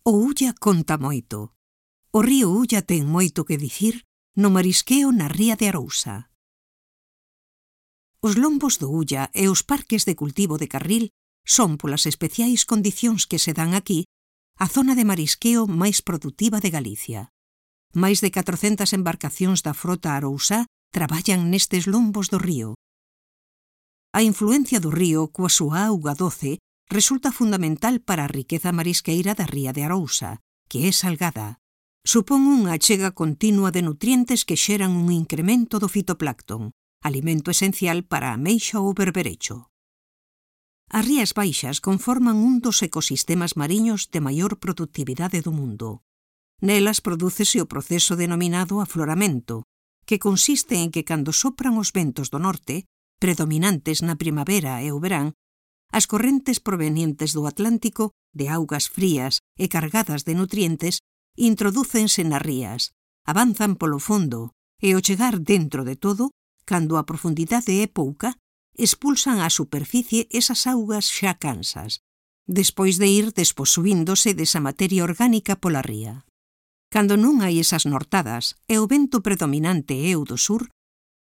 O Ulla conta moito. O río Ulla ten moito que dicir no marisqueo na ría de Arousa. Os lombos do Ulla e os parques de cultivo de Carril son, polas especiais condicións que se dan aquí, a zona de marisqueo máis produtiva de Galicia. Máis de 400 embarcacións da frota arousá traballan nestes lombos do río. A influencia do río coa súa auga doce resulta fundamental para a riqueza marisqueira da ría de Arousa, que é salgada. Supón unha achega continua de nutrientes que xeran un incremento do fitoplancton, alimento esencial para a ameixa ou berberecho. As rías baixas conforman un dos ecosistemas mariños de maior productividade do mundo. Nelas prodúcese o proceso denominado afloramento, que consiste en que cando sopran os ventos do norte, predominantes na primavera e o verán, as correntes provenientes do Atlántico, de augas frías e cargadas de nutrientes, introdúcense nas rías, avanzan polo fondo e ao chegar dentro de todo, cando a profundidade é pouca, expulsan á superficie esas augas xa cansas, despois de ir desposuíndose desa materia orgánica pola ría. Cando non hai esas nortadas e o vento predominante é o do sur,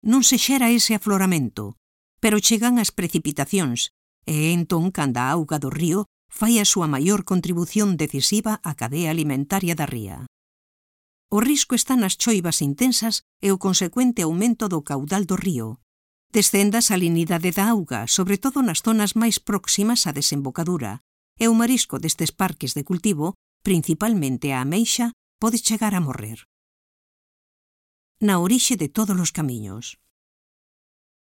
non se xera ese afloramento, pero chegan as precipitacións, e entón cando a auga do río fai a súa maior contribución decisiva á cadea alimentaria da ría. O risco está nas choivas intensas e o consecuente aumento do caudal do río. Descende a salinidade da auga, sobre todo nas zonas máis próximas á desembocadura, e o marisco destes parques de cultivo, principalmente a ameixa, pode chegar a morrer. Na orixe de todos os camiños.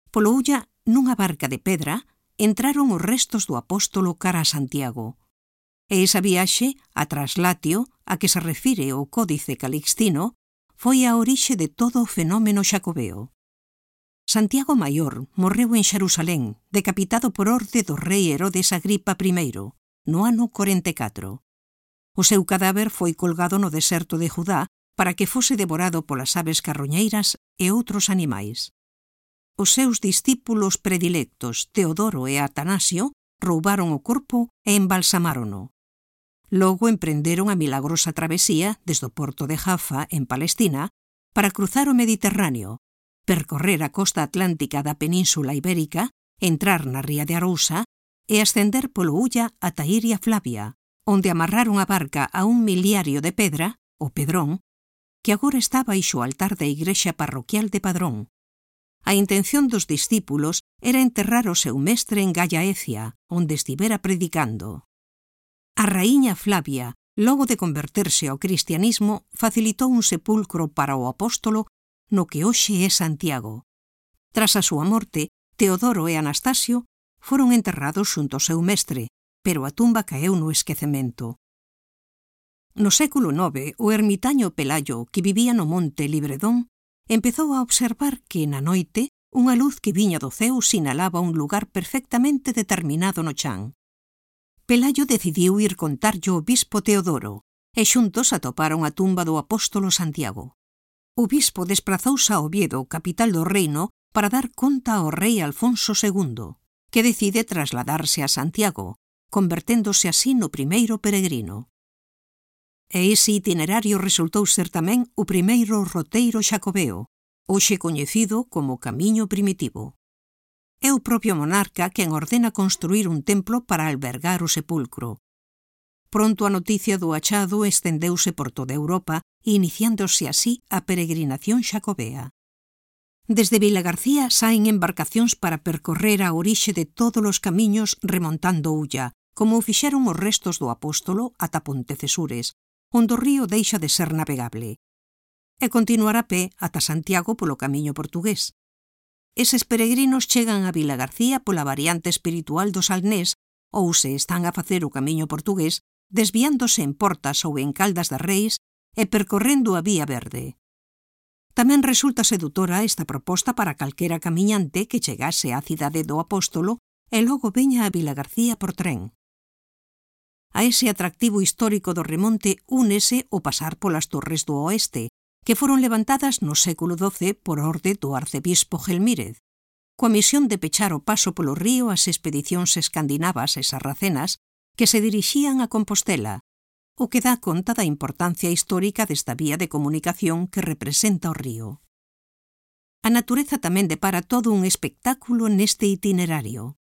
Polo Ulla, nunha barca de pedra, entraron os restos do apóstolo cara a Santiago. E esa viaxe, a traslatio, a que se refire o Códice Calixtino, foi a orixe de todo o fenómeno xacobeo. Santiago Maior morreu en Xerusalén, decapitado por orde do rei Herodes Agripa I, no ano 44. O seu cadáver foi colgado no deserto de Judá para que fose devorado polas aves carroñeiras e outros animais. Os seus discípulos predilectos, Teodoro e Atanasio, roubaron o corpo e embalsamárono. Logo emprenderon a milagrosa travesía desde o porto de Jaffa, en Palestina, para cruzar o Mediterráneo, percorrer a costa atlántica da Península Ibérica, entrar na ría de Arousa e ascender polo Ulla ata Iria Flavia, onde amarraron a barca a un miliario de pedra, o Pedrón, que agora está baixo o altar da igrexa parroquial de Padrón. A intención dos discípulos era enterrar o seu mestre en Gallaecia, onde estivera predicando. A raíña Flavia, logo de converterse ao cristianismo, facilitou un sepulcro para o apóstolo no que hoxe é Santiago. Tras a súa morte, Teodoro e Anastasio foron enterrados xunto ao seu mestre, pero a tumba caeu no esquecemento. No século IX, o ermitaño Pelayo, que vivía no monte Libredón, empezou a observar que, na noite, unha luz que viña do ceo sinalaba un lugar perfectamente determinado no chan. Pelayo decidiu ir contarllo ao bispo Teodoro, e xuntos atoparon a tumba do apóstolo Santiago. O bispo desprazouse a Oviedo, capital do reino, para dar conta ao rei Alfonso II, que decide trasladarse a Santiago, converténdose así no primeiro peregrino. E ese itinerario resultou ser tamén o primeiro roteiro xacobeo, hoxe coñecido como Camiño Primitivo. É o propio monarca quen ordena construir un templo para albergar o sepulcro. Pronto a noticia do achado estendeuse por toda Europa, iniciándose así a peregrinación xacobea. Desde Vilagarcía saen embarcacións para percorrer a orixe de todos os camiños remontando Ulla, como o fixeron os restos do apóstolo ata Pontecesures, onde o río deixa de ser navegable, e continuar a pé ata Santiago polo camiño portugués. Eses peregrinos chegan a Vilagarcía pola variante espiritual do Salnés ou se están a facer o camiño portugués desviándose en Portas ou en Caldas de Reis e percorrendo a Vía Verde. Tamén resulta sedutora esta proposta para calquera camiñante que chegase á cidade do apóstolo e logo veña a Vilagarcía por tren. A ese atractivo histórico do remonte únese o pasar polas Torres do Oeste, que foron levantadas no século XII por orde do arcebispo Gelmírez, coa misión de pechar o paso polo río ás expedicións escandinavas e sarracenas que se dirixían a Compostela, o que dá conta da importancia histórica desta vía de comunicación que representa o río. A natureza tamén depara todo un espectáculo neste itinerario.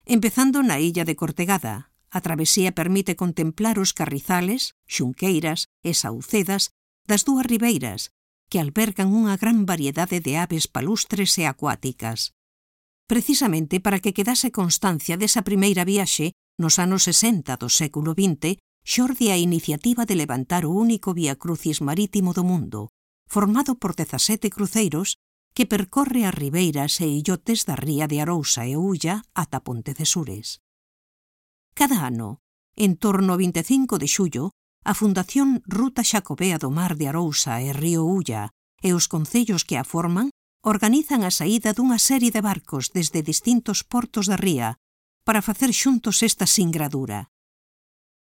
Empezando na illa de Cortegada, a travesía permite contemplar os carrizales, xunqueiras e saucedas das dúas ribeiras, que albergan unha gran variedade de aves palustres e acuáticas. Precisamente para que quedase constancia desa primeira viaxe, nos anos 60 do século XX, xorde a iniciativa de levantar o único viacrucis marítimo do mundo, formado por 17 cruceiros que percorre as ribeiras e illotes da ría de Arousa e Ulla ata Pontecesures. Cada ano, en torno ao 25 de xullo, a Fundación Ruta Xacobea do Mar de Arousa e Río Ulla e os concellos que a forman organizan a saída dunha serie de barcos desde distintos portos da ría para facer xuntos esta singradura.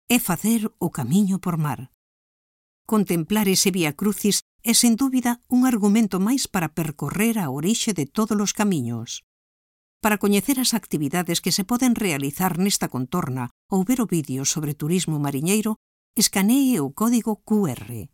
É facer o camiño por mar. Contemplar ese viacrucis é sen dúbida un argumento máis para percorrer a orixe de todos os camiños. Para coñecer as actividades que se poden realizar nesta contorna ou ver o vídeo sobre turismo mariñeiro, escanee o código QR.